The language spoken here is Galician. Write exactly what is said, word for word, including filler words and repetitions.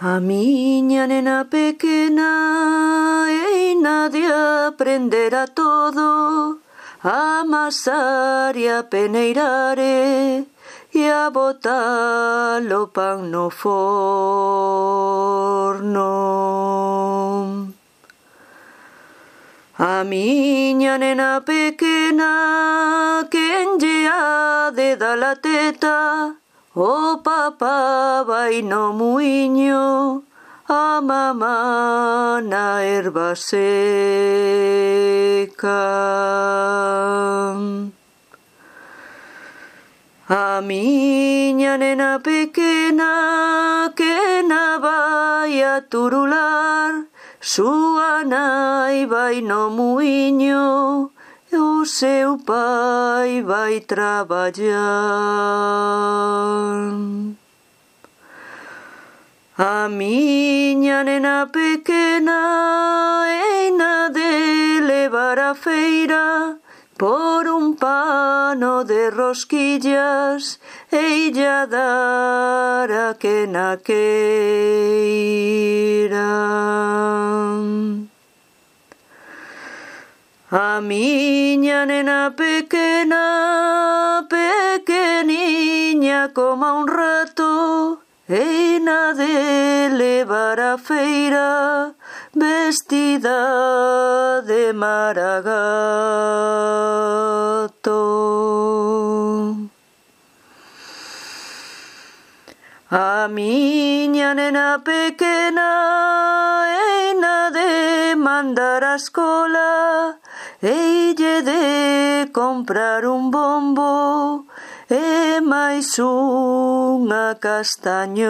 A miña nena pequena eina de aprender a todo, a amasar e a peneirar e a botar o pan no forno. A miña nena pequena quen lle ha de dar a teta, o papá vai no muiño, a mamá na erva seca. A miña nena pequena que na vai a turular, súa nai vai no muiño, e o seu pai vai traballar. A miña nena pequena eina de levar a feira por un pano de rosquillas e illa dar a que na queira. A miña nena pequena, pequeniña como un rato, eina de levar a feira vestida de maragato. A miña nena pequena eina de mandar a escola, eille de comprar un bombo e máis unha castañón.